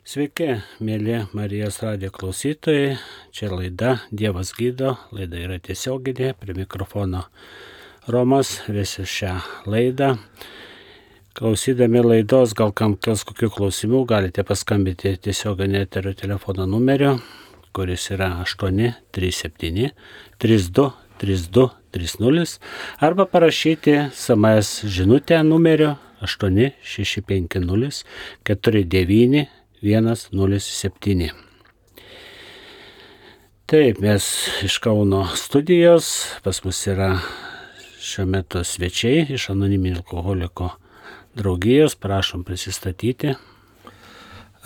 Sveiki, mėly Marijos radijo klausytojai. Čia laida Dievas gydo, laida yra tiesioginė, prie mikrofono Romas, visi šią laidą. Klausydami laidos, gal kam kils kokių klausimų, galite paskambinti tiesioginį eterio telefono numeriu, kuris yra 837 32 32 30, arba parašyti SMS žinutę numeriu 8650 49 107. Taip, mes iš Kauno studijos, pas mus yra šiuo metu svečiai iš Anoniminio alkoholiko draugijos, prašom prisistatyti.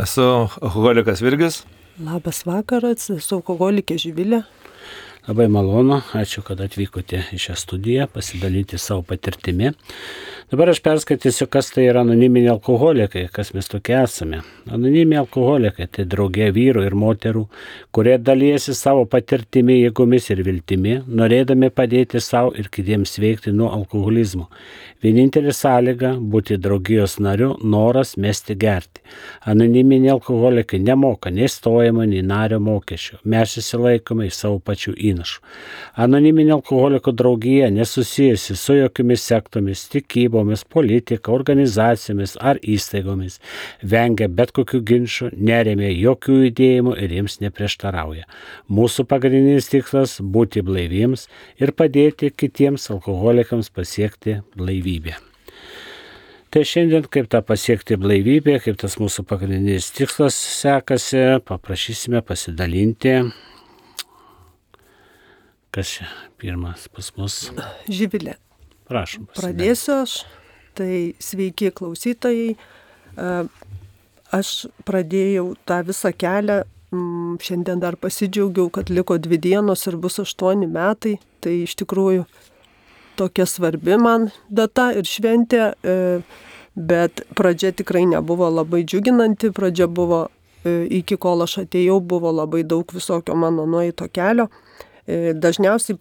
Esu alkoholikas Virgis. Labas vakaras, esu alkoholikė Živilė. Labai malonu, ačiū, kad atvykote į šią studiją, pasidalyti savo patirtimi. Dabar aš perskaitysiu, kas tai yra anoniminiai alkoholikai, kas mes tokie esame. Anoniminiai alkoholikai tai draugė vyrų ir moterų, kurie dalijasi savo patirtimi, jėgomis ir viltimi, norėdami padėti savo ir kitiems sveikti nuo alkoholizmo. Vienintelė sąlyga būti draugijos nariu - noras mesti gerti. Anoniminiai alkoholikai nemoka nei stojimo, nei nario mokesčio. Mes įsilaikome į savo pačių įnašų. Anoniminė alkoholiko draugija nesusijusi su jokiomis sektomis, tikybomis, politika, organizacijomis ar įstaigomis. Vengia bet kokių ginčų, neremia jokių judėjimų ir jiems neprieštarauja. Mūsų pagrindinis tikslas - būti blaiviems ir padėti kitiems alkoholikams pasiekti blaivybę. Tai šiandien, kaip tą pasiekti blaivybę, kaip tas mūsų pagrindinis tikslas sekasi, paprašysime pasidalinti. Kas čia pirmas pas mus? Živilė. Prašom. Pradėsiu aš. Tai sveiki klausytojai. Aš pradėjau tą visą kelią. Šiandien dar pasidžiaugiau, kad liko 2 dienos ir bus 8 metai. Tai iš tikrųjų tokia svarbi man data ir šventė. Bet pradžia tikrai nebuvo labai džiuginanti. Pradžia buvo, iki kol aš atėjau, buvo labai daug visokio mano nueito kelio. Dažniausiai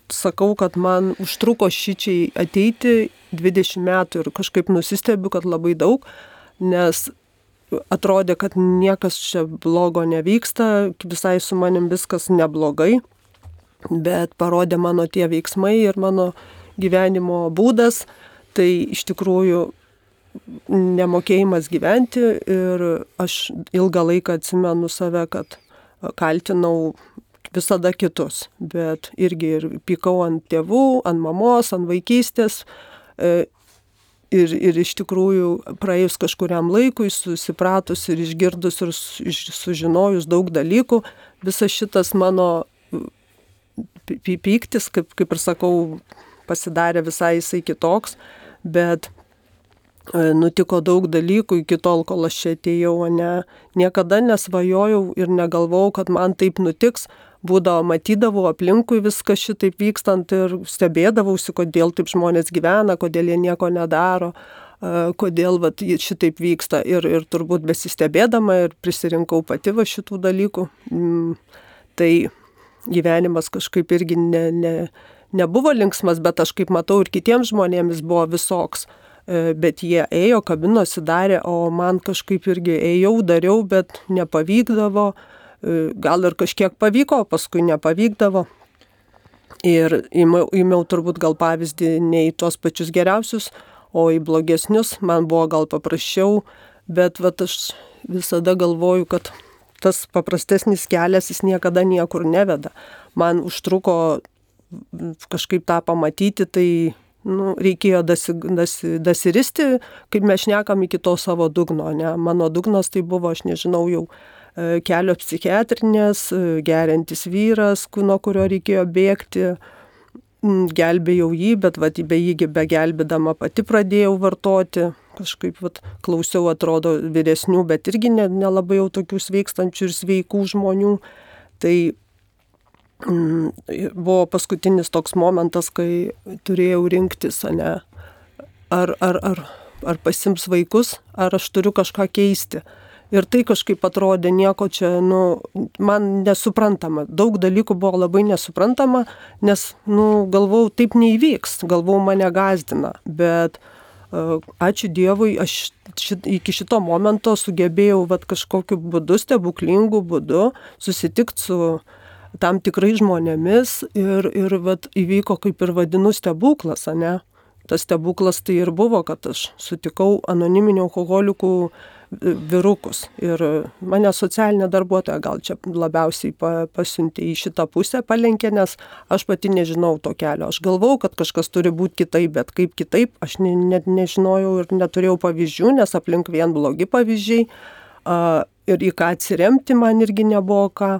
sakau, kad man užtruko šičiai ateiti 20 metų ir kažkaip nusistebiu, kad labai daug, nes atrodė, kad niekas čia blogo nevyksta, visai su manim viskas neblogai, bet parodė mano tie veiksmai ir mano gyvenimo būdas, tai iš tikrųjų nemokėjimas gyventi ir aš ilgą laiką atsimenu save, kad kaltinau visada kitus, bet irgi ir pykau ant tėvų, ant mamos, ant vaikystės ir iš tikrųjų praėjus kažkuriam laikui, susipratus ir išgirdus ir sužinojus daug dalykų, visas šitas mano pyktis, kaip ir sakau, pasidarė visai jisai kitoks, bet nutiko daug dalykų iki tol, kol aš čia atėjau, niekada nesvajojau ir negalvojau, kad man taip nutiks. Būdavo, matydavau aplinkui viską šitaip vykstant ir stebėdavausi, kodėl taip žmonės gyvena, kodėl jie nieko nedaro, kodėl šitaip vyksta. Ir turbūt besistebėdama ir prisirinkau pati šitų dalykų. Tai gyvenimas kažkaip irgi nebuvo linksmas, bet aš kaip matau ir kitiems žmonėmis buvo visoks. Bet jie ėjo, kabinosi, darė, o man kažkaip irgi ėjau, dariau, bet nepavykdavo. Gal ir kažkiek pavyko, paskui nepavykdavo. Ir įmiau turbūt gal pavyzdį ne į tuos pačius geriausius, o į blogesnius. Man buvo gal paprasčiau, bet aš visada galvoju, kad tas paprastesnis kelias jis niekada niekur neveda. Man užtruko kažkaip tą pamatyti, tai reikėjo dasiristi, kaip mes šnekam, iki to savo dugno. Ne? Mano dugnas tai buvo, aš nežinau, jau kelio psichiatrinės, geriantis vyras, nuo kurio reikėjo bėgti, gelbėjau jį, bet be jį begelbėdama pati pradėjau vartoti, kažkaip klausiau, atrodo, vyresnių, bet irgi nelabai jau tokių sveikstančių ir sveikų žmonių. Tai buvo paskutinis toks momentas, kai turėjau rinktis, ar pasims vaikus, ar aš turiu kažką keisti. Ir tai kažkaip atrodė nieko čia, man nesuprantama. Daug dalykų buvo labai nesuprantama, nes, galvau, taip neįvyks, galvau, mane gąsdina. Bet ačiū Dievui, aš iki šito momento sugebėjau kažkokiu būdu, stebuklingu būdu susitikti su tam tikrai žmonėmis ir įvyko, kaip ir vadinu, stebuklas, ane? Tas stebuklas tai ir buvo, kad aš sutikau anoniminių alkoholikų vyrukus. Ir mane socialinė darbuotoja gal čia labiausiai pasiuntė į šitą pusę, palenkė, nes aš pati nežinau to kelio. Aš galvau, kad kažkas turi būti kitaip, bet kaip kitaip, aš net nežinojau ir neturėjau pavyzdžių, nes aplink vien blogi pavyzdžiai. Ir į ką atsiremti man irgi nebuvo ką.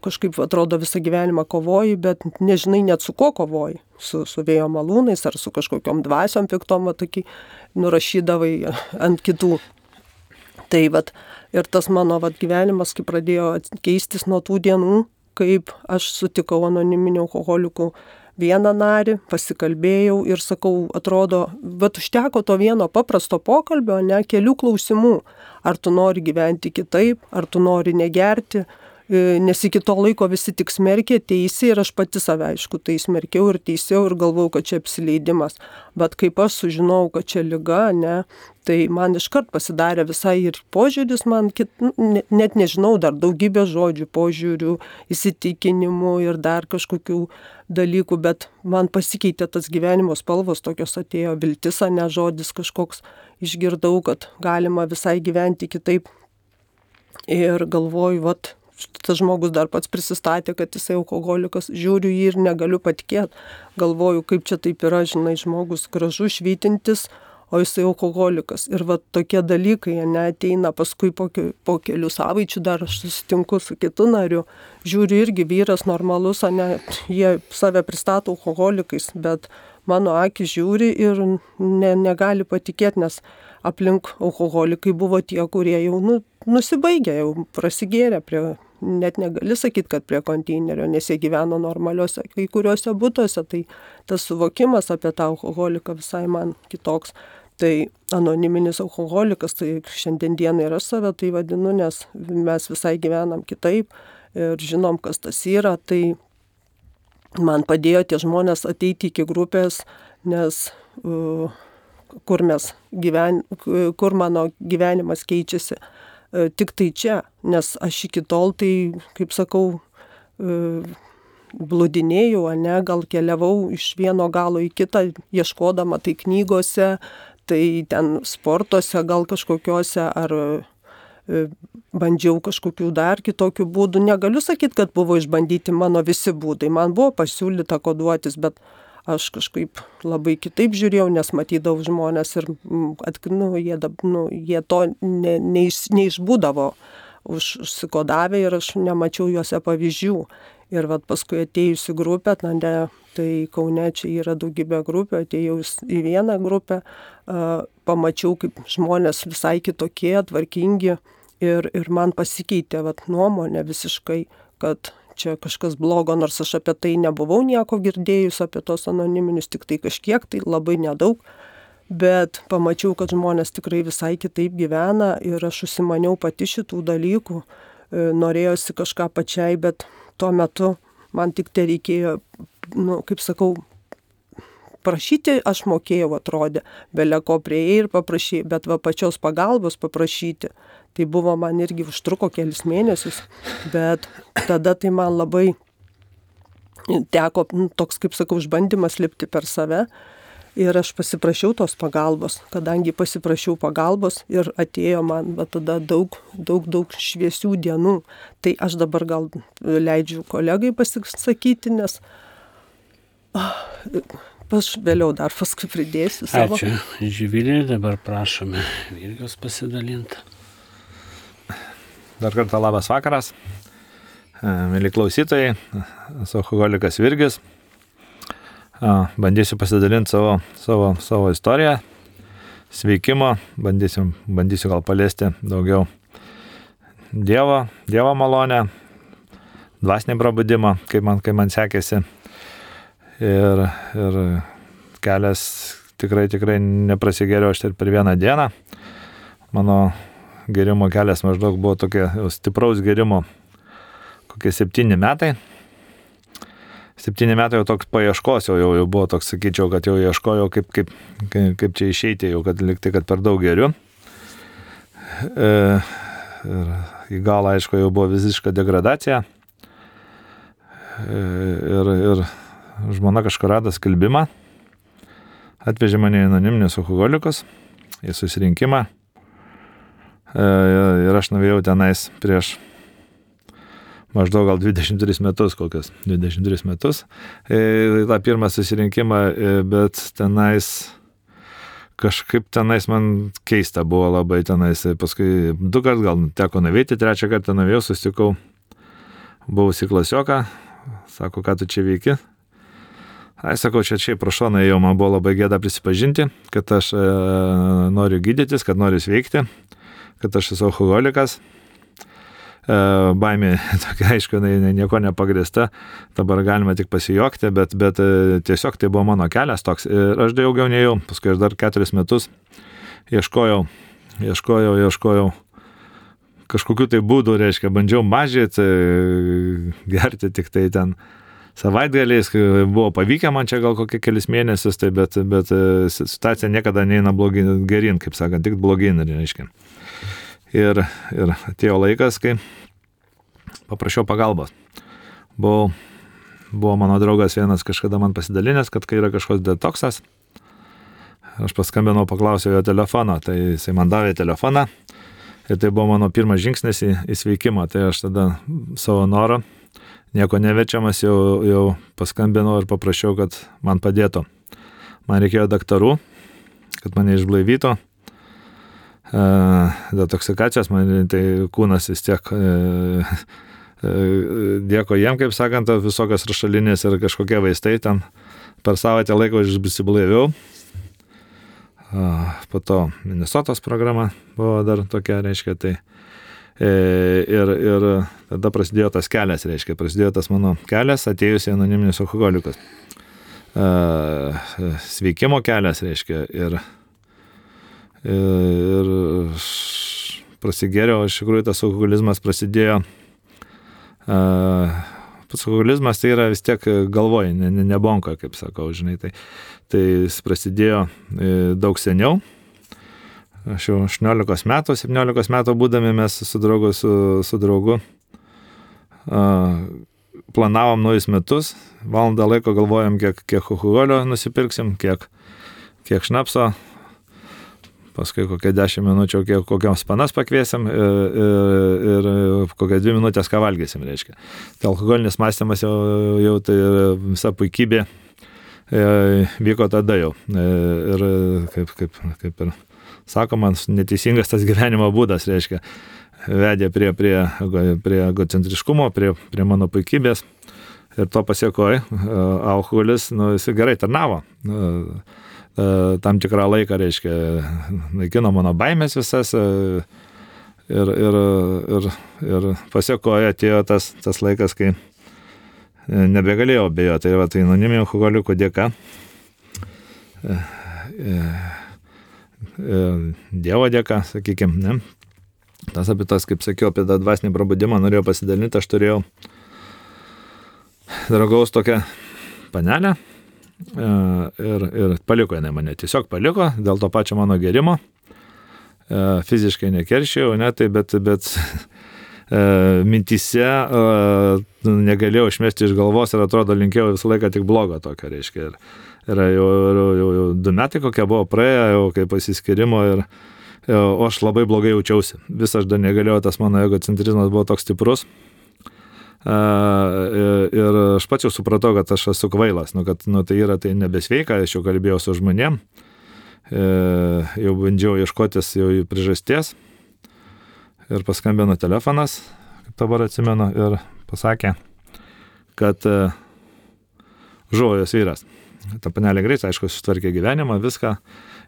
Kažkaip atrodo visą gyvenimą kovoji, bet nežinai net su ko kovoji. Su vėjo malūnais ar su kažkokiom dvasiom piktom, tokį nurašydavai ant kitų. Tai ir tas mano gyvenimas, kai pradėjo keistis nuo tų dienų, kaip aš sutikau anoniminių alkoholikų vieną narį, pasikalbėjau ir sakau, atrodo, užteko to vieno paprasto pokalbio, ne kelių klausimų. Ar tu nori gyventi kitaip, ar tu nori negerti, nes iki to laiko visi tik smerkė, teisė ir aš pati save, aišku, tai smerkiau ir teisėjau ir galvau, kad čia apsileidimas. Bet kaip aš sužinau, kad čia liga, ne, tai man iškart pasidarė visai ir požiūris, man net nežinau, dar daugybė žodžių, požiūrių, įsitikinimų ir dar kažkokių dalykų, bet man pasikeitė tas gyvenimo spalvos, tokios atėjo viltis, ne žodis kažkoks, išgirdau, kad galima visai gyventi kitaip ir galvoju, tas žmogus dar pats prisistatė, kad jisai alkoholikas, žiūriu jį ir negaliu patikėti. Galvoju, kaip čia taip yra, žinai, žmogus gražu, švytintis, o jisai alkoholikas. Ir tokie dalykai, ateina paskui po kelių savaičių, dar aš susitinku su kitu nariu. Žiūriu irgi vyras normalus, jie save pristato alkoholikais, bet mano akis žiūri ir negali patikėti, nes aplink alkoholikai buvo tie, kurie jau nusibaigė, jau prasigėrė net negali sakyti, kad prie konteinerio, nes jie gyveno normaliuose kai kuriuose butuose, tai tas suvokimas apie tą alkoholiką visai man kitoks. Tai anoniminis alkoholikas, tai šiandien dieną ir aš save tai vadinu, nes mes visai gyvenam kitaip ir žinom, kas tas yra, tai man padėjo tie žmonės ateiti iki grupės, nes kur mano gyvenimas keičiasi. Tik tai čia, nes aš iki tol tai, kaip sakau, blūdinėjau, gal keliavau iš vieno galo į kitą, ieškodama tai knygose, tai ten sportuose, gal kažkokiuose, ar bandžiau kažkokių dar kitokių būdų. Negaliu sakyti, kad buvo išbandyti mano visi būdai. Man buvo pasiūlyta koduotis, bet aš kažkaip labai kitaip žiūrėjau, nes matydavau žmonės ir jie to neišbūdavo užsikodavę ir aš nemačiau juose pavyzdžių. Ir paskui atėjusi grupė, tai Kaune čia yra daugybė grupių, atėjau į vieną grupę, pamačiau, kaip žmonės visai kitokie, tvarkingi ir man pasikeitė nuomonė visiškai, kad čia kažkas blogo, nors aš apie tai nebuvau nieko girdėjus, apie tos anoniminius, tik tai kažkiek, tai labai nedaug, bet pamačiau, kad žmonės tikrai visai kitaip gyvena ir aš užsimaniau pati šitų dalykų, norėjosi kažką pačiai, bet tuo metu man tik tai reikėjo, kaip sakau, prašyti aš mokėjau, atrodė, belė ko prieėjai ir paprašyti, bet pačios pagalbos paprašyti. Tai buvo man irgi užtruko kelis mėnesius, bet tada tai man labai teko toks, kaip sakau, išbandymas lipti per save ir aš pasiprašiau tos pagalbos, kadangi pasiprašiau pagalbos ir atėjo man tada daug šviesių dienų. Tai aš dabar gal leidžiu kolegai pasisakyti, nes aš vėliau dar paskui pridėsiu savo. Ačiū, Živilė, dabar prašome Virgos pasidalinti. Dar kartą labas vakaras, mėly klausytojai, esu alkoholikas Virgis, bandysiu pasidalinti savo istoriją, sveikimo, bandysiu gal paliesti daugiau Dievo malonę, dvasinį prabudimą, kaip man sekėsi ir kelias tikrai neprasigėriau aš ir per vieną dieną. Mano gerimo kelias maždaug buvo tokia stipraus gerimo kokie 7 metai. 7 metai jau toks paieškos, jau buvo toks, sakyčiau, kad jau ieškojau, kaip čia išeiti, jau kad liktai, kad per daug geriu. Ir į galą, aišku, jau buvo visiška degradacija. Ir žmona kažkur rado skelbimą, atvežė mane į anoniminius alkoholikus, į susirinkimą. Ir aš nuvėjau tenais prieš maždaug gal 23 metus, kokias 23 metus. Ta pirmą susirinkimą, bet tenais kažkaip tenais man keista buvo labai tenais. Paskui 2 kart gal teko nuvėti, 3 kartą nuvėjau, susitikau buvusi klasioką, sako, ką tu čia veiki? Ai, sakau, čia prašau, jau man buvo labai gėda prisipažinti, kad aš noriu gydytis, kad noriu sveikti, kad aš esu alkoholikas. Baimė tokia, aišku, nieko nepagrįsta, dabar galima tik pasijuokti, bet tiesiog tai buvo mano kelias toks. Ir aš daugiau neėjau, paskui aš dar 4 metus ieškojau kažkokių tai būdų, reiškia, bandžiau mažyti, gerti tik tai ten savaitgaliais, buvo pavykę man čia gal kokie kelis mėnesius, tai bet situacija niekada neina gerin, kaip sakant, tik blogin, reiškia. Ir atėjo laikas, kai paprašiau pagalbos. Buvo mano draugas vienas kažkada man pasidalinęs, kad kai yra kažkoks detoksas, aš paskambinau, paklausiau jo telefoną, tai jisai man davė telefoną ir tai buvo mano pirmas žingsnis į sveikimą, tai aš tada savo norą, nieko nevečiamas, jau paskambinau ir paprašiau, kad man padėtų. Man reikėjo daktarų, kad mane išblaivytų. Detoksikacijos, man tai kūnas vis tiek dėko jiem, kaip sakant, visokios rašalinės ir kažkokie vaistai ten per savaitę laiko išsiblaiviau. Po to Minnesotos programa buvo dar tokia, reiškia, tai ir tada prasidėjo tas kelias, reiškia, prasidėjo tas mano kelias atėjus į anoniminius alkoholikus. Sveikimo kelias, reiškia, ir prasigėriau, iš tikrųjų tas alkoholizmas prasidėjo. Pats alkoholizmas tai yra vis tiek galvoj, ne bonka, kaip sakau, žinai, tai jis prasidėjo daug seniau. Aš jau 18 metų, 17 metų būdami mes su draugu planavom naujus metus, valandą laiko galvojom, kiek alkoholio nusipirksim, kiek šnapso, paskui kokią 10 minučių kokiams panas pakviesim ir kokią 2 minutės ką valgysim, reiškia. Tai alkoholinis mąstymas jau tai visa puikybė vyko tada jau. Ir kaip ir sakoma, neteisingas tas gyvenimo būdas, reiškia, vedė prie egocentriškumo, prie mano puikybės. Ir to pasiekoje alkoholis, jis gerai tarnavo. Tam tikrą laiką, reiškia, naikino mano baimės visas ir pasiekoje atėjo tas laikas, kai nebegalėjau abejoti. Tai anoniminių alkoholikų dėka, Dievo dėka, sakykime, ne? Tas apie tas, kaip sakiau, apie tą dvasinį prabudimą norėjau pasidalinti, aš turėjau draugaus tokią panelę, ir paliko jinai mane, tiesiog paliko dėl to pačio mano gerimo, fiziškai nekeršėjau, ne, tai bet mintyse negalėjau išmesti iš galvos ir atrodo linkėjau visą laiką tik blogo tokio, reiškia. Ir jau 2 metai kokie buvo praėję, jau kaip pasiskirimo o aš labai blogai jaučiausi. Vis aš dar negalėjau, tas mano egocentrizmas buvo toks stiprus. Ir aš pats jau supratau, kad aš esu kvailas, kad tai nebesveika, aš jau kalbėjau su žmonėm, jau bandžiau ieškotis jau priežasties ir paskambino telefonas, kaip dabar atsimenu, ir pasakė, kad žuvo jos vyras. Ta panelė greit, aišku, sutvarkė gyvenimą, viską,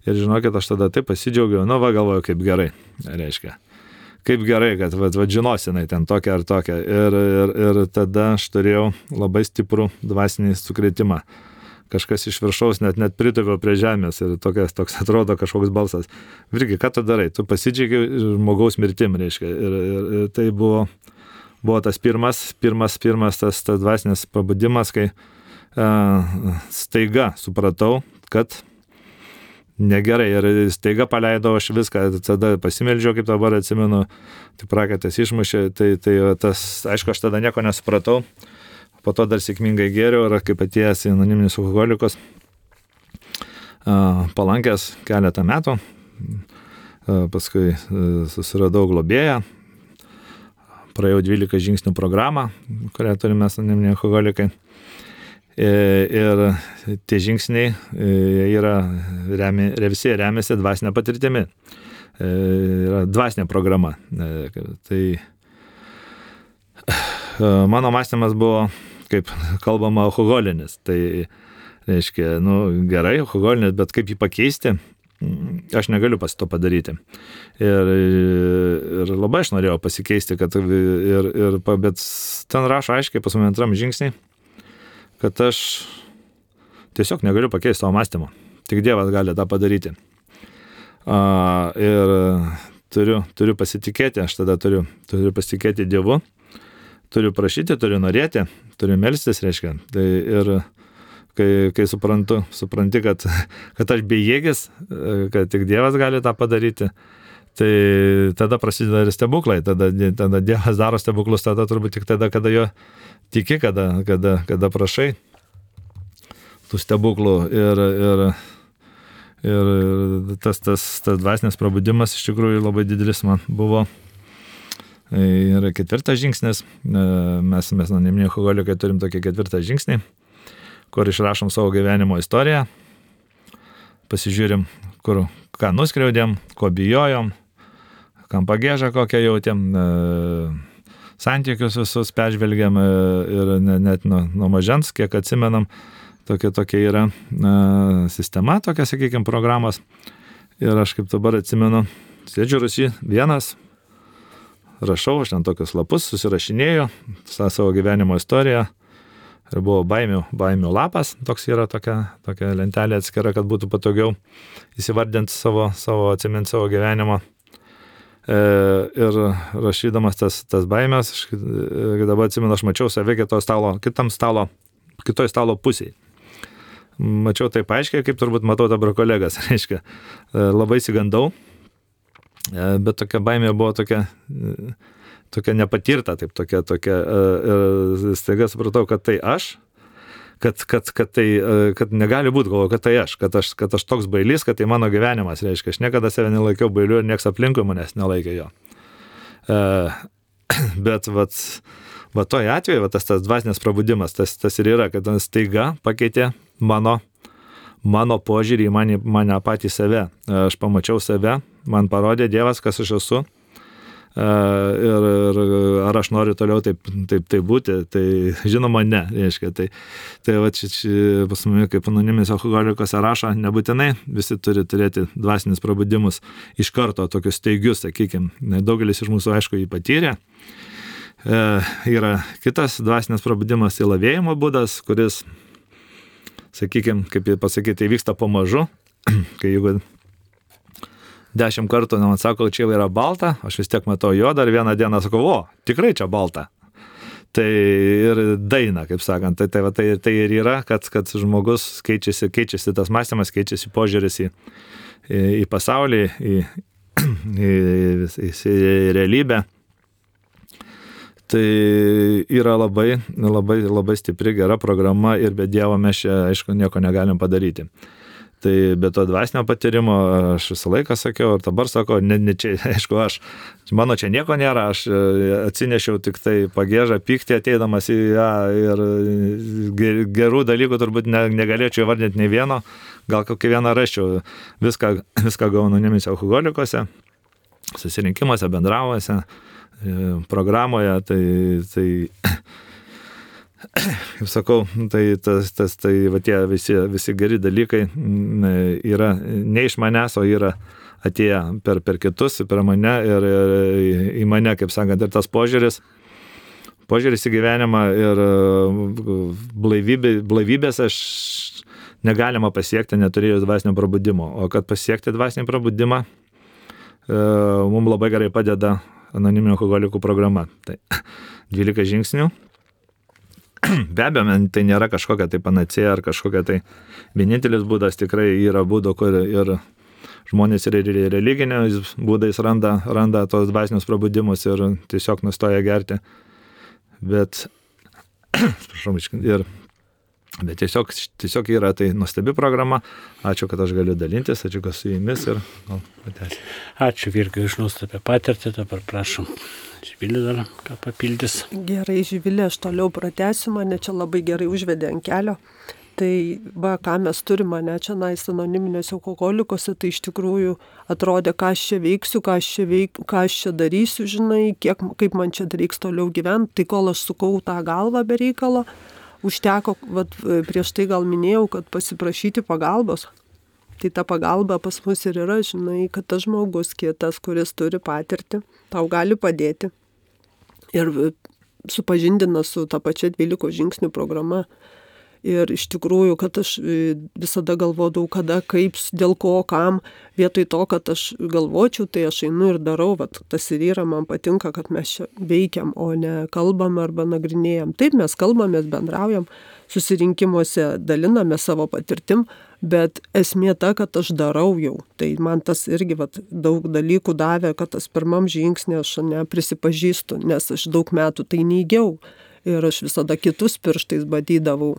ir žinokit, aš tada taip pasidžiaugiau, galvoju, kaip gerai, reiškia. Kaip gerai, kad žinosinai ten tokia ar tokia. Ir tada aš turėjau labai stiprų dvasinį sukrėtimą. Kažkas iš viršaus net pritūpė prie žemės ir toks atrodo kažkoks balsas. Virgi, ką tu darai? Tu pasidžiaugi žmogaus mirtim, reiškia. Ir tai buvo tas pirmas tas dvasinis pabudimas, kai staiga supratau, kad negerai ir staiga paleidau aš viską, tada pasimeldžiau, kaip dabar atsimenu, tai prakaitas išmušė, tai tas, aišku, aš tada nieko nesupratau, po to dar sėkmingai gėriau ir kaip atėjęs į anoniminius alkoholikus, palankęs keletą metų, paskui susiradau globėją, praėjau 12 žingsnių programą, kurią turime anoniminiai alkoholikai. Ir tie žingsniai visi remiasi dvasinė patirtimi. Yra dvasinė programa. Tai mano mąstymas buvo, kaip kalbama, alkoholinis. Tai reiškia, gerai, alkoholinis, bet kaip jį pakeisti, aš negaliu to padaryti. Ir labai aš norėjau pasikeisti, bet ten rašo aiškiai pas mane 2 žingsniai, kad aš tiesiog negaliu pakeisti savo mąstymo. Tik Dievas gali tą padaryti. Ir turiu pasitikėti, aš tada turiu pasitikėti Dievu, turiu prašyti, turiu norėti, turiu melstis, reiškia. Tai ir kai supranti, kad aš bejėgis, kad tik Dievas gali tą padaryti, tai tada prasideda ir stebuklai, tada Dievas daro stebuklus, tada turbūt tik tada, kada jo tiki, kada prašai tų stebuklų ir tas dvasinis prabudimas iš tikrųjų labai didelis man buvo. Ir 4 žingsnis, mes anoniminiai alkoholikai turim tokį 4 žingsnį, kur išrašom savo gyvenimo istoriją, pasižiūrim, ką nuskriaudėm, ko bijojom, kam pagėžą kokią jautėm, santykius visus peržvelgiam ir net nuo mažens, kiek atsimenam, tokia yra sistema, tokia, sakykime, programos. Ir aš kaip dabar atsimenu, sėdžiu Rusy vienas, rašau, aš ten tokius lapus susirašinėjau, savo gyvenimo istoriją. Ir buvo baimių lapas, toks yra tokia lentelė atskira, kad būtų patogiau įsivardinti atsiminti savo gyvenimą. Ir rašydamas tas baimės, dabar atsimenu, aš mačiau save kitoj stalo pusėje. Mačiau taip aiškiai, kaip turbūt matau dabar kolegas, reiškia. Labai sigandau, bet tokia baimė buvo tokia nepatirta, tokia, ir staiga supratau, kad tai aš, kad negali būti, galvoju, kad tai aš, kad aš toks bailys, kad tai mano gyvenimas, reiškia, aš niekada save nelaikiau bailiu ir nieks aplinkui manęs nelaikė jo. Bet toj atveju, tas dvasinės prabudimas, tas ir yra, kad staiga pakeitė mano požiūrį į mane patį save. Aš pamačiau save, man parodė Dievas, kas aš esu. Ir ar aš noriu toliau taip būti, tai žinoma ne, reiškia. Tai pas mane kaip anoniminis alkoholikas rašo, nebūtinai visi turi turėti dvasinius prabudimus iš karto, tokius staigius, sakykime. Daugelis iš mūsų, aišku, jį patyrė. Yra kitas dvasinis prabudimas, tai lavėjimo būdas, kuris, sakykime, kaip pasakyti, vyksta pamažu, kai jeigu 10 kartų man sako, čia yra balta, aš vis tiek matau juodą ir vieną dieną sakau, tikrai čia balta. Tai ir daina, kaip sakant, tai ir yra, kad žmogus keičiasi tas mąstymas, keičiasi požiūris į pasaulį, į realybę. Tai yra labai stipri, gera programa ir be Dievo mes čia, aišku, nieko negalim padaryti. Tai be to dvasinio patyrimo aš visą laiką sakiau ir dabar sakau, ne čia, aišku, mano čia nieko nėra, aš atsinešiau tik tai pagėžą, pyktį ateidamas į ją ir gerų dalykų turbūt negalėčiau įvardinti nei vieno, gal kokį vieną raščiau, viską gavau anoniminiuose alkoholikuose, susirinkimuose, bendravuose, programoje, tai kaip sakau, tai tie visi geri dalykai yra ne iš manęs, o yra atėję per kitus, per mane ir į mane, kaip sakant, ir tas požiūris į gyvenimą ir blaivybės aš negalima pasiekti, neturėjus dvasinio prabudimo. O kad pasiekti dvasinį prabudimą, mums labai gerai padeda anoniminių alkoholikų programa. Tai 12 žingsnių. be abejo, tai nėra kažkokia tai panacėja ar kažkokia tai vienintelis būdas, tikrai yra būdų, kur ir žmonės ir religiniais būdais randa tos dvasinius prabudimus ir tiesiog nustoja gerti. Bet, bet tiesiog yra tai nuostabi programa. Ačiū, kad aš galiu dalintis, ačiū, kad su jumis ir patęsiu. Ačiū Virgiui iš nuostabią patirtį, dabar prašom. Živilė dar ką papildys. Gerai, Živilė, aš toliau pratęsiu, mane čia labai gerai užvedė ant kelio. Tai ką mes turime, mane čia anoniminėse alkoholikose, tai iš tikrųjų atrodė, ką aš čia veiksiu, ką aš čia darysiu, žinai, kaip man čia reiks toliau gyventi. Tai kol aš sukau tą galvą be reikalo, užteko, prieš tai gal minėjau, kad pasiprašyti pagalbos. Tai ta pagalba pas mus ir yra, žinai, kad tas žmogus kitas, kuris turi patirtį, tau gali padėti. Ir supažindina su ta pačia 12 žingsnių programa. Ir iš tikrųjų, kad aš visada galvodavau, kada, kaip, dėl ko, kam, vietoj to, kad aš galvočiau, tai aš einu ir darau, tas ir yra, man patinka, kad mes čia veikiam, o ne kalbam arba nagrinėjam. Taip, mes kalbamės, bendraujam, susirinkimuose daliname savo patirtim, bet esmė ta, kad aš darau jau. Tai man tas irgi daug dalykų davė, kad tas pirmam žingsnį aš neprisipažįstu, nes aš daug metų tai neigiau. Ir aš visada kitus pirštais badydavau,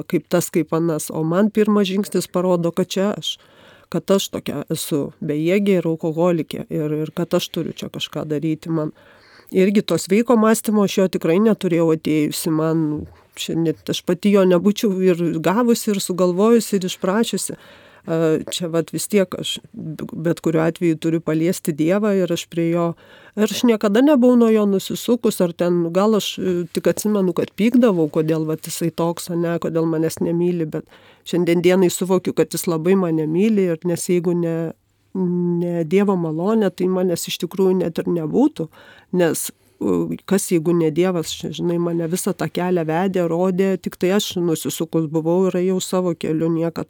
kaip tas, kaip anas. O man pirmas žingsnis parodo, kad čia aš, kad aš tokia esu bejėgė ir alkoholikė ir kad aš turiu čia kažką daryti. Man irgi to sveiko mąstymo aš jo tikrai neturėjau atėjusi. Net aš pati jo nebūčiau ir gavusi, ir sugalvojusi, ir išprašiusi. Čia vis tiek aš bet kuriuo atveju turiu paliesti Dievą ir aš prie jo, ir aš niekada nebuvau nuo jo nusisukus, ar ten gal aš tik atsimenu, kad pykdavau, kodėl jisai toks, kodėl manęs nemyli, bet šiandien dienai suvokiu, kad jis labai mane myli, ir nes jeigu ne Dievo malonė, tai manęs iš tikrųjų net ir nebūtų, nes kas jeigu ne Dievas, žinai, mane visą tą kelią vedė, rodė, tik tai aš nusisukus buvau ir ėjau savo keliu, niekad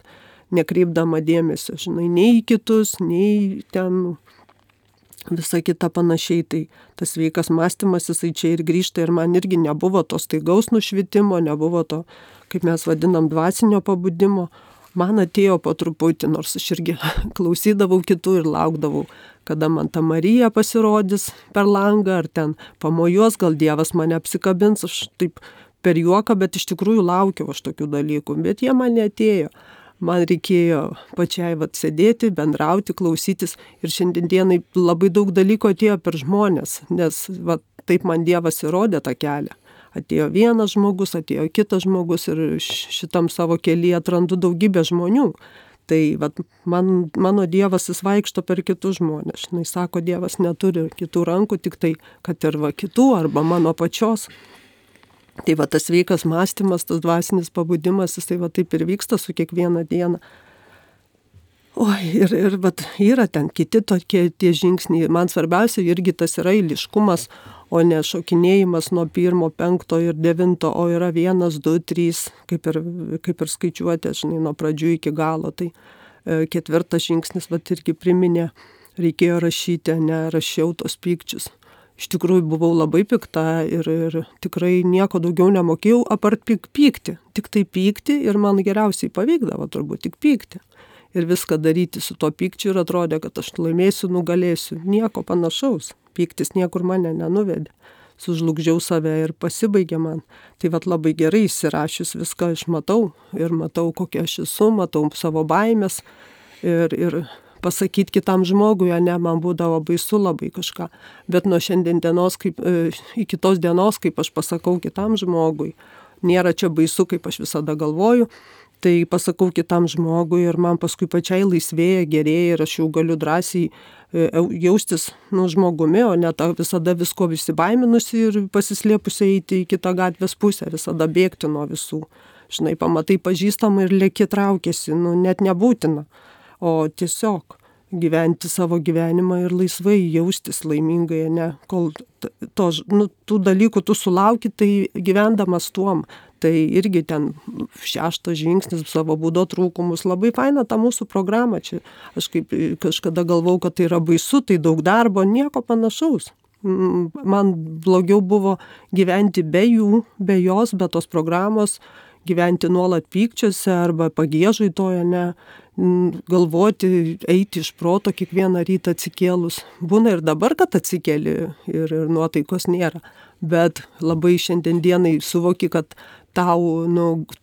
nekreipdama dėmesio, žinai, nei į kitus, nei ten visa kita panašiai. Tai tas sveikas mąstymas, jisai čia ir grįžta, ir man irgi nebuvo to staigaus nušvitimo, nebuvo to, kaip mes vadinam, dvasinio pabudimo. Man atėjo po truputį, nors aš irgi klausydavau kitų ir laukdavau, kada man ta Marija pasirodys per langą, ar ten pamojuos, gal Dievas mane apsikabins, aš taip per juoką, bet iš tikrųjų laukiau aš tokių dalykų, bet jie man neatėjo. Man reikėjo pačiai sėdėti, bendrauti, klausytis, ir šiandien dienai labai daug dalykų atėjo per žmonės, nes taip man Dievas įrodė tą kelią. Atėjo vienas žmogus, atėjo kitas žmogus, ir šitam savo kelyje atrandu daugybę žmonių. Tai mano Dievas jis vaikšto per kitus žmonės. Jis sako, Dievas neturi kitų rankų, tik tai, kad ir kitų arba mano pačios. Tai tas sveikas mąstymas, tas dvasinis pabudimas, jis taip ir vyksta su kiekvieną dieną. Ir yra ten kiti tokie tie žingsniai. Man svarbiausia irgi tas yra eiliškumas, o ne šokinėjimas nuo 1, 5 ir 9, o yra 1, 2, 3, kaip ir skaičiuotė, žinai, nuo pradžių iki galo. Tai 4 žingsnis irgi priminė, reikėjo rašyti, nerašiau tos pykčius. Iš tikrųjų buvau labai pikta ir tikrai nieko daugiau nemokėjau apart pykti. Tik tai pykti, ir man geriausiai pavykdavo turbūt tik pykti. Ir viską daryti su to pykčiu, ir atrodė, kad aš laimėsiu, nugalėsiu. Nieko panašaus. Pyktis niekur mane nenuvedė. Sužlugdžiau save ir pasibaigė man. Tai labai gerai įsirašius viską aš matau. Ir matau, kokia aš esu, matau savo baimės. Ir pasakyti kitam žmogui, man būdavo baisu labai kažką. Bet nuo šiandien dienos, iki tos dienos, kaip aš pasakau kitam žmogui, nėra čia baisu, kaip aš visada galvoju, tai pasakau kitam žmogui, ir man paskui pačiai laisvėja, gerėja, ir aš jau galiu drąsiai jaustis žmogumi, o ne visada visko įsibaiminusi ir pasislėpusi eiti į kitą gatvės pusę, visada bėgti nuo visų. Žinai, pamatai pažįstamą ir lėki traukėsi, net nebūtina. O tiesiog gyventi savo gyvenimą ir laisvai jaustis laimingai, kol tų dalykų tu sulauki, tai gyvendamas tuom. Tai irgi ten 6 žingsnis, savo būdo trūkumus, labai faina ta mūsų programa. Čia aš kaip kažkada galvau, kad tai yra baisu, tai daug darbo, nieko panašaus. man blogiau buvo gyventi be jų, be jos, be tos programos, gyventi nuolat pykčiuose arba pagiežai toje, ne, galvoti, eiti iš proto kiekvieną rytą atsikėlus. Būna ir dabar, kad atsikeli ir nuotaikos nėra, bet labai šiandien dienai suvoki, kad tau,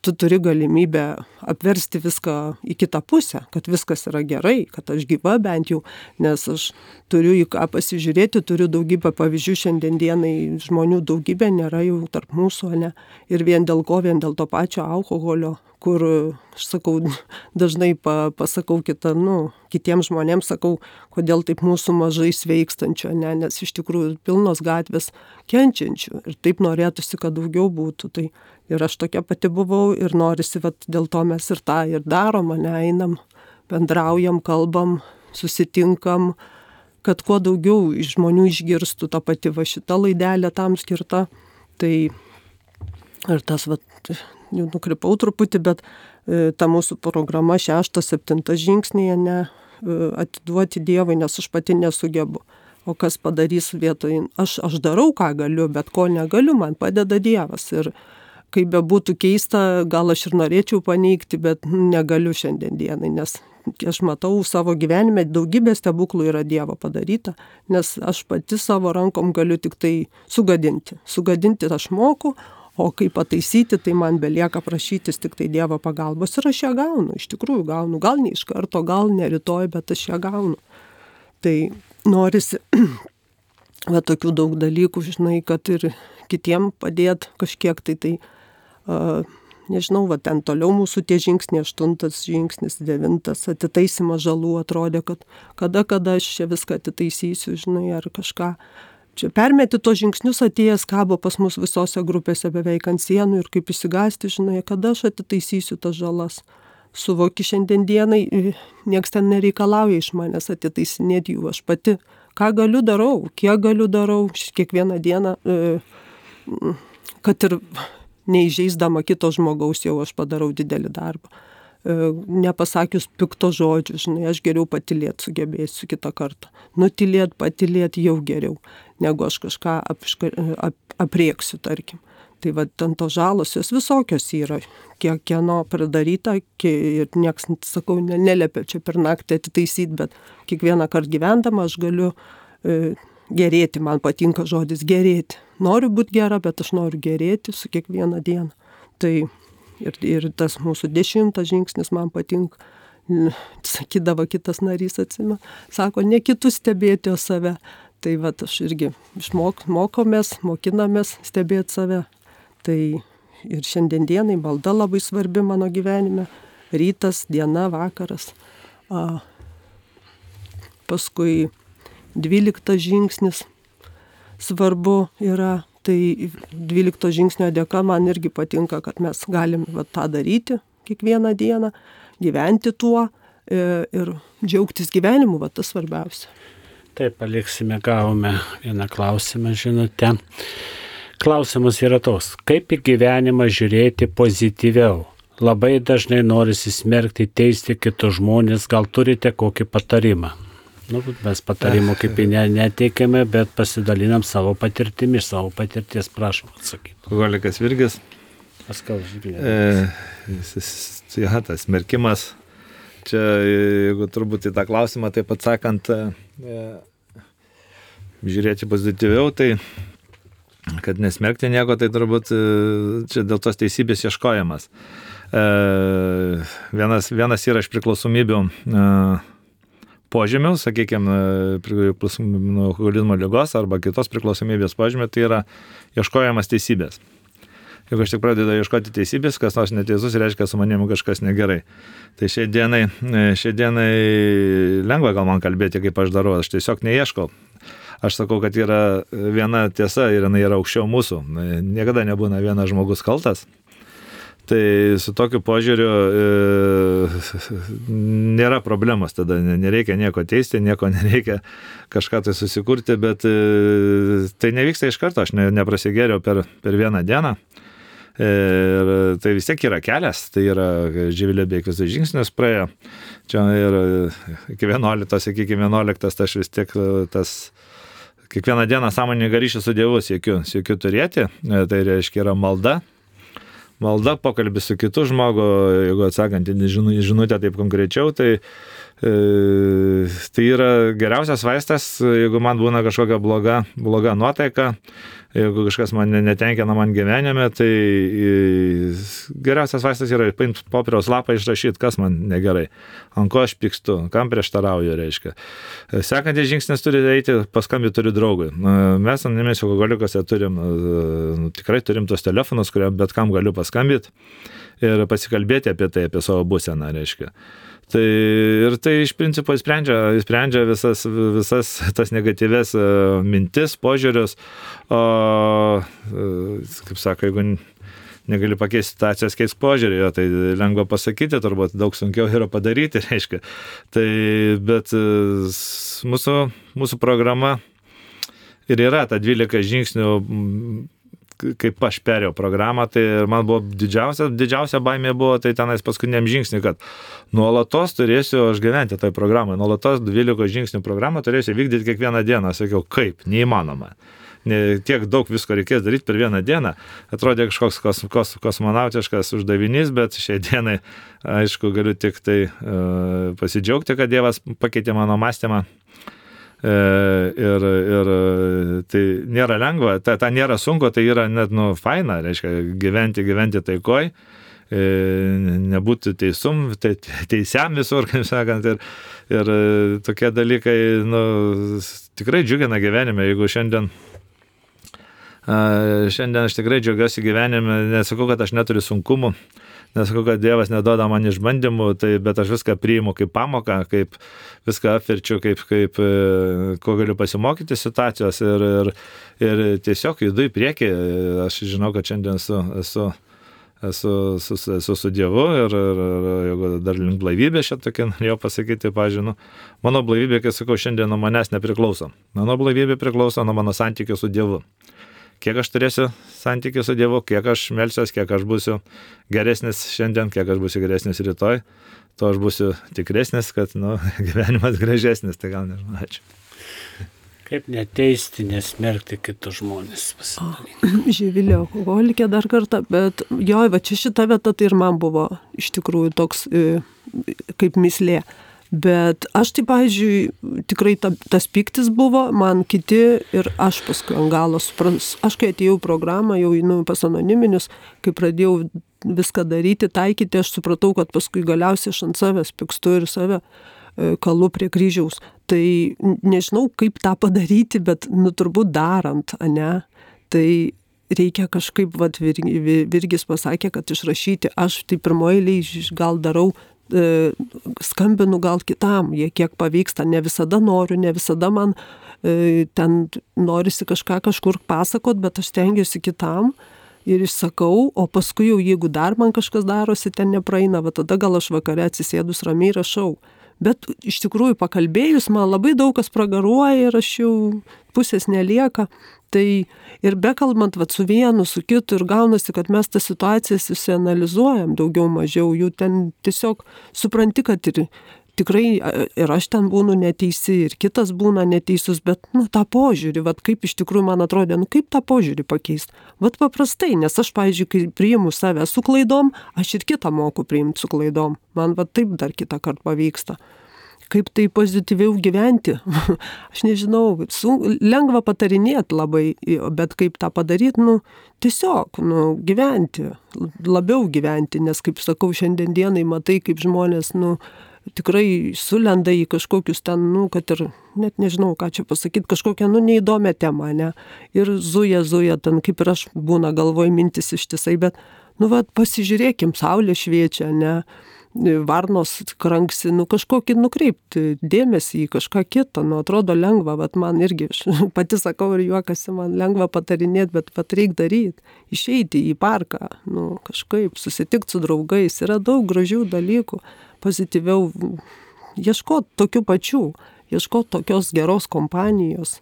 tu turi galimybę apversti viską į kitą pusę, kad viskas yra gerai, kad aš gyva bent jau, nes aš turiu į ką pasižiūrėti, turiu daugybę pavyzdžių šiandien dienai, žmonių daugybė nėra jau tarp mūsų, ne, ir vien dėl ko, vien dėl to pačio alkoholio, kur, aš sakau, dažnai pasakau kitiems žmonėms, sakau, kodėl taip mūsų mažai sveikstančio, ne, nes iš tikrųjų pilnos gatvės kenčiančių ir taip norėtųsi, kad daugiau būtų. Tai ir aš tokia pati buvau ir norisi, dėl to mes ir tą ir darom, ne, einam, bendraujam, kalbam, susitinkam, kad kuo daugiau žmonių išgirstų, ta pati šita laidelė tam skirta. Tai ir tas, jau nukrypau truputį, bet ta mūsų programa 6-7 žingsnėje, ne, atiduoti Dievui, nes aš pati nesugebu. O kas padarys vietoj, aš darau, ką galiu, bet ko negaliu, man padeda Dievas. Ir kaip bebūtų keista, gal aš ir norėčiau paneigti, bet negaliu šiandien dienai, nes aš matau savo gyvenime, daugybė stebuklų yra Dievo padaryta, nes aš pati savo rankom galiu tik tai sugadinti. Sugadinti aš moku, o kaip pataisyti, tai man belieka prašytis tik tai Dievo pagalbos ir aš ją gaunu, iš tikrųjų gaunu, gal ne iš karto, gal ne rytoj, bet aš ją gaunu. Tai norisi tokių daug dalykų, žinai, kad ir kitiem padėt kažkiek, tai nežinau, ten toliau mūsų tie žingsniai, 8 žingsnis, 9, atitaisymas žalų, atrodė, kad kada aš čia viską atitaisysiu, žinai, ar kažką. Čia permeti tos žingsnius, atėjęs kabo pas mus visose grupėse beveik ant sienų ir kaip įsigasti, žinai, kada aš atitaisysiu tas žalas. Suvoki šiandien dienai, nieks ten nereikalauja iš manęs atitaisinėti jų, aš pati, ką galiu darau, kiek galiu darau, kiekvieną dieną, kad ir neįžeisdama kito žmogaus jau aš padarau didelį darbą. Nepasakius pikto žodžių, žinai, aš geriau patylėti sugebėsiu kitą kartą. Nutylėti, patylėti jau geriau, negu aš kažką aprieksiu, tarkim. Tai ten tos žalos, jos visokios yra, kieno pridaryta ir nieks, sakau, neliepia čia per naktį atitaisyti, bet kiekvieną kartą gyvendama aš galiu gerėti, man patinka žodis gerėti. Noriu būti gera, bet aš noriu gerėti su kiekvieną dieną. Tai ir tas mūsų 10 žingsnis man patinka, sakydavo kitas narys, atsimenu, sako, ne kitus stebėti, o save. Tai aš irgi mokinamės stebėti save. Tai ir šiandien dienai malda labai svarbi mano gyvenime, rytas, diena, vakaras. Paskui 12 žingsnis svarbu yra. Tai 12 žingsnio dėka man irgi patinka, kad mes galim tą daryti kiekvieną dieną, gyventi tuo ir džiaugtis gyvenimu, tas svarbiausia. Taip, paliksime, gavome vieną klausimą, žinutę. Klausimas yra toks, kaip į gyvenimą žiūrėti pozityviau? Labai dažnai norisi smerkti, teisti kitus žmonės, gal turite kokį patarimą? Mes patarimų kaip neteikėme, bet pasidalinam savo patirtimi, savo patirties, prašom atsakyti. Alkoholikas Virgis. Paskau, žiūrėjau. Tas smerkimas. Čia, jeigu turbūt į tą klausimą taip atsakant, žiūrėti pozityviau, tai kad nesmerkti nieko, tai turbūt čia dėl tos teisybės ieškojimas. Vienas yra iš priklausomybių požymių, sakykime, priklausomybė nuo alkoholizmo ligos arba kitos priklausomybės požymių, tai yra ieškojimas teisybės. Jeigu aš tik pradedu ieškoti teisybės, kas nors neteisus, reiškia, su manimi kažkas negerai. Tai šiai dienai lengva gal man kalbėti, kaip aš darau, aš tiesiog neieškau. Aš sakau, kad yra viena tiesa ir jinai yra aukščiau mūsų. Niekada nebūna vienas žmogus kaltas. Tai su tokiu požiūriu nėra problemos, tada nereikia nieko teisti, nieko nereikia kažką tai susikurti, bet tai nevyksta iš karto, aš neprasigėriau per vieną dieną. Ir tai vis tiek yra kelias, tai yra Živilė beveik visus žingsnius praėjo. Čia ir iki 11, tai aš vis tiek tas kiekvieną dieną sąmoningą ryšį su Dievu siekiu turėti, tai reiškia yra malda. Malda, pokalbis su kitu žmogu, jeigu atsakant į žinutę taip konkrečiau, tai yra geriausias vaistas, jeigu man būna kažkokia bloga nuotaika, jeigu kažkas man netenkina man gyvenime, tai geriausias vaistas yra paimti popieriaus lapą, išrašyti, kas man negerai, ant ko aš pykstu, kam prieštarauju, reiškia. Sekantis žingsnis turi eiti, paskambinti turiu draugui. Mes Anoniminiuose alkoholikuose tikrai turim tos telefonus, kuriam bet kam galiu paskambinti ir pasikalbėti apie tai, apie savo būseną, reiškia. Tai iš principo sprendžia visas tas negatyves mintis, požiūrius, o, kaip sako, jeigu negali pakeisti situacijos, keisk požiūrį, tai lengva pasakyti, turbūt daug sunkiau yra padaryti, reiškia. Tai, bet mūsų programa ir yra ta 12 žingsnių, kaip aš perėjau programą, tai man buvo didžiausia baimė buvo, tai tenais paskutiniam žingsniui, kad nuolatos turėsiu aš gyventi toj programai, nuolatos 12 žingsnių programą turėsiu vykdyti kiekvieną dieną. Sakiau, kaip, neįmanoma. Tiek daug visko reikės daryti per vieną dieną. Atrodė kažkoks kosmonautiškas uždavinys, bet šiai dienai, aišku, galiu tik tai pasidžiaugti, kad Dievas pakeitė mano mąstymą. Ir tai nėra lengva, ta nėra sunku, tai yra net faina, reiškia, gyventi taikoj, nebūti teisiam visur, kaip sakant, ir tokie dalykai tikrai džiugina gyvenime. Jeigu šiandien aš tikrai džiaugiuosi gyvenime, nesakau, kad aš neturiu sunkumų, nesakau, kad Dievas neduoda man išbandymų, bet aš viską priimu kaip pamoką, kaip viską apverčiu, kaip ko galiu pasimokyti situacijos ir tiesiog judu į priekį. Aš žinau, kad šiandien esu su Dievu ir jeigu dar link blaivybės šią tokį norėjau pasakyti, pažiūrėjau, mano blaivybė, kai sakau, šiandien nuo manęs nepriklauso. Mano blaivybė priklauso nuo mano santykių su Dievu. Kiek aš turėsiu santykių su Dievu, kiek aš melsiuos, kiek aš būsiu geresnis šiandien, kiek aš būsiu geresnis rytoj, to aš būsiu tikresnis, kad gyvenimas gražesnis, tai gal nežinau, ačiū. Kaip neteisti, nesmerkti kitus žmonės pasidaryti. Živilė alkoholikė dar kartą, bet va čia šita vieta tai ir man buvo iš tikrųjų toks kaip mislė. Bet aš tai, pavyzdžiui, tikrai tas pyktis buvo, man kiti ir aš paskui ant galo aš kai atėjau programą, jau pas Anoniminius, kai pradėjau viską daryti, taikyti, aš supratau, kad paskui galiausiai aš ant savęs pykstu ir save kalu prie kryžiaus. Tai nežinau, kaip tą padaryti, bet turbūt darant, ne? Tai reikia kažkaip, Virgis pasakė, kad išrašyti, aš tai pirmoje eilėje gal darau, skambinu gal kitam, jie kiek pavyksta, ne visada noriu, ne visada man ten norisi kažkur pasakot, bet aš stengiuosi kitam ir išsakau, o paskui jau jeigu dar man kažkas darosi, ten nepraeina, tada gal aš vakare atsisėdus ramiai rašau. Bet iš tikrųjų pakalbėjus man labai daug kas pragaruoja ir aš jau pusės nelieka. Tai ir bekalbant su vienu, su kitu ir gaunasi, kad mes tas situacijas išsianalizuojam daugiau mažiau, jų ten tiesiog supranti, kad ir tikrai ir aš ten būnu neteisi, ir kitas būna neteisus, bet tą požiūrį, kaip iš tikrųjų man atrodė, kaip tą požiūrį pakeisti. Paprastai, nes aš, pavyzdžiui, kai priimu save su klaidom, aš ir kitą moku priimti su klaidom. Man taip dar kitą kartą pavyksta. Kaip tai pozityviau gyventi. Aš nežinau, lengva patarinėti labai, bet kaip tą padaryti, tiesiog, gyventi, labiau gyventi, nes, kaip sakau, šiandien dienai matai, kaip žmonės, tikrai sulenda į kažkokius ten, kad ir, net nežinau, ką čia pasakyti, kažkokią, neįdomią temą, ne? Ir zuja, ten, kaip ir aš būna galvoj mintis ištisai, bet, pasižiūrėkim, saulė šviečia, ne? Varnos kranksi, kažkokį nukreipti dėmesį į kažką kitą, atrodo lengva, man irgi, pati sakau ir juokasi, man lengva patarinėti, bet reikia daryti, išeiti į parką, kažkaip susitikti su draugais, yra daug gražių dalykų, pozityviau, ieškoti tokių pačių, ieškoti tokios geros kompanijos,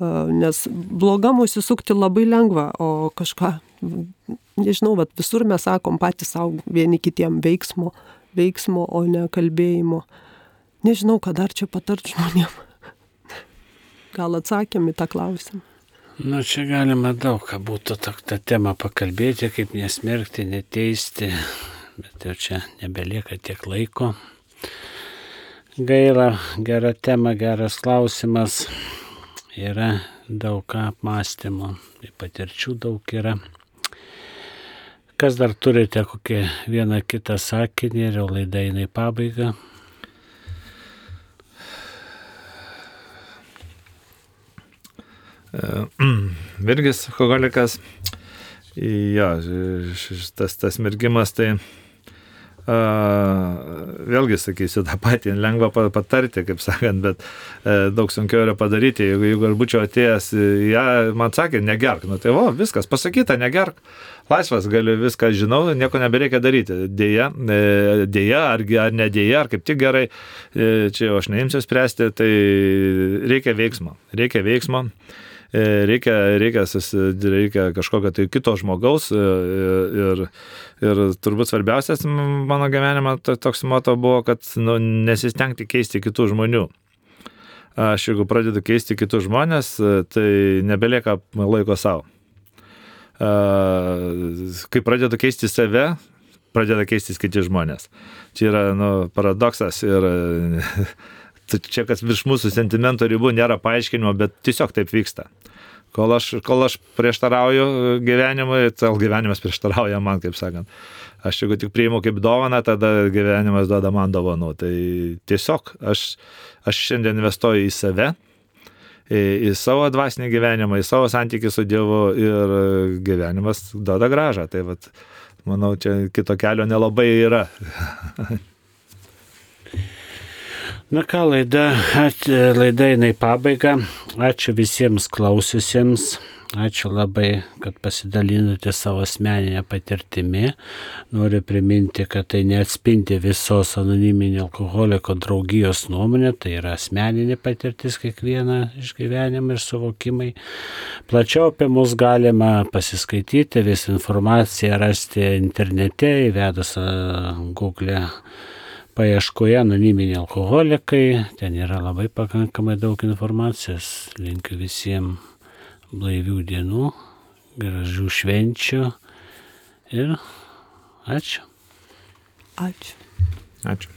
nes blogam užsisukti labai lengva, o kažką, nežinau, visur mes sakom patys savo vieni kitiem veiksmo, o ne kalbėjimo. Nežinau, ką dar čia patart žmonėm. gal atsakėm į tą klausimą. Nu, čia galima daug ką būtų tą temą pakalbėti, kaip nesmerkti, neteisti, bet jau čia nebelieka tiek laiko. Gaila, gera tema, geras klausimas, yra daug ką apmąstymo, patirčių daug yra. Kas dar turite kokį vieną kitą sakinį ir jau laida eina į pabaigą? Virgis alkoholikas, jo, tas mergimas, tai vėlgi sakysiu tą patį, lengva patarti, kaip sakant, bet daug sunkiau yra padaryti. Jeigu aš būčiau atėjęs, man sakė, negerk, nu tai viskas pasakyta, negerk, laisvas, galiu viską žinau, nieko nebereikia daryti. Dėja, ar nedėja, ar kaip tik gerai, čia jau aš neimsiu spręsti, tai reikia veiksmo. Reikia kažkokio tai kito žmogaus ir turbūt svarbiausias mano gyvenime toks moto buvo, kad nesistengti keisti kitų žmonių. Aš jeigu pradedu keisti kitus žmonės, tai nebelieka laiko savo. Kai pradedu keisti save, pradeda keistis kiti žmonės. Čia yra paradoksas ir čia, kas virš mūsų sentimento ribų nėra paaiškinimo, bet tiesiog taip vyksta. Kol aš prieštarauju gyvenimui, tai gyvenimas prieštarauja man, kaip sakant. Aš jeigu tik priimu kaip dovaną, tada gyvenimas duoda man dovanų. Tai tiesiog aš šiandien investuoju į save, į savo dvasinį gyvenimą, į savo santykį su Dievu ir gyvenimas duoda grąžą. Tai manau, čia kito kelio nelabai yra. Na ką, laida eina į pabaigą. Ačiū visiems klausiusiems. Ačiū labai, kad pasidalinote savo asmeninę patirtimi. Noriu priminti, kad tai neatspindi visos anoniminio alkoholiko draugijos nuomonė, tai yra asmeninė patirtis kiekviena išgyvenimai ir suvokimai. Plačiau apie mus galima pasiskaityti, visą informaciją rasti internete, įvedus Google paieškoje anoniminiai alkoholikai. Ten yra labai pakankamai daug informacijos. Linkiu visiems blaivių dienų, gražių švenčių ir ačiū. Ačiū. Ačiū.